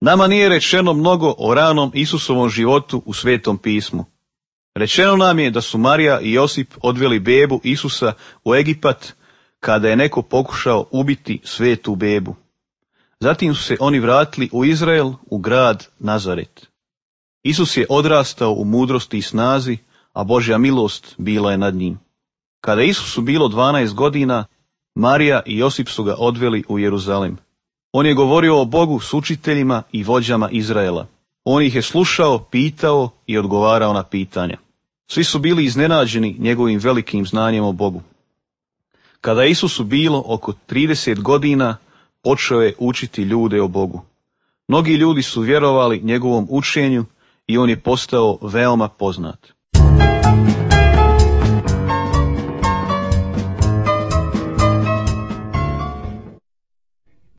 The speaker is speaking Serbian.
Nama nije rečeno mnogo o ranom Isusovom životu u Svetom pismu. Rečeno nam je da su Marija i Josip odveli bebu Isusa u Egipat kada je neko pokušao ubiti svetu bebu. Zatim su se oni vratili u Izrael, u grad Nazaret. Isus je odrastao u mudrosti i snazi, a Božja milost bila je nad njim. Kada Isusu bilo 12 godina, Marija i Josip su ga odveli u Jeruzalem. On je govorio o Bogu s učiteljima i vođama Izraela. On ih je slušao, pitao i odgovarao na pitanja. Svi su bili iznenađeni njegovim velikim znanjem o Bogu. Kada je Isusu bilo oko 30 godina, počeo je učiti ljude o Bogu. Mnogi ljudi su vjerovali njegovom učenju i on je postao veoma poznat.